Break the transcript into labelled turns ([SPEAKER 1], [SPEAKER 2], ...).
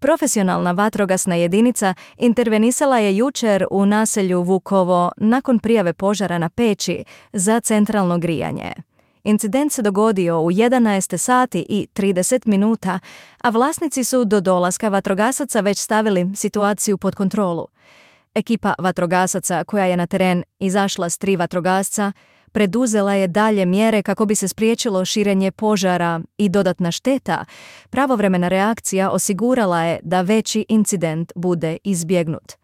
[SPEAKER 1] Profesionalna vatrogasna jedinica intervenisala je jučer u naselju Vukovo nakon prijave požara na peći za centralno grijanje. Incident se dogodio u 11 sati i 30 minuta, a vlasnici su do dolaska vatrogasaca već stavili situaciju pod kontrolu. Ekipa vatrogasaca koja je na teren izašla s 3 vatrogasca preduzela je dalje mjere kako bi se spriječilo širenje požara i dodatna šteta. Pravovremena reakcija osigurala je da veći incident bude izbjegnut.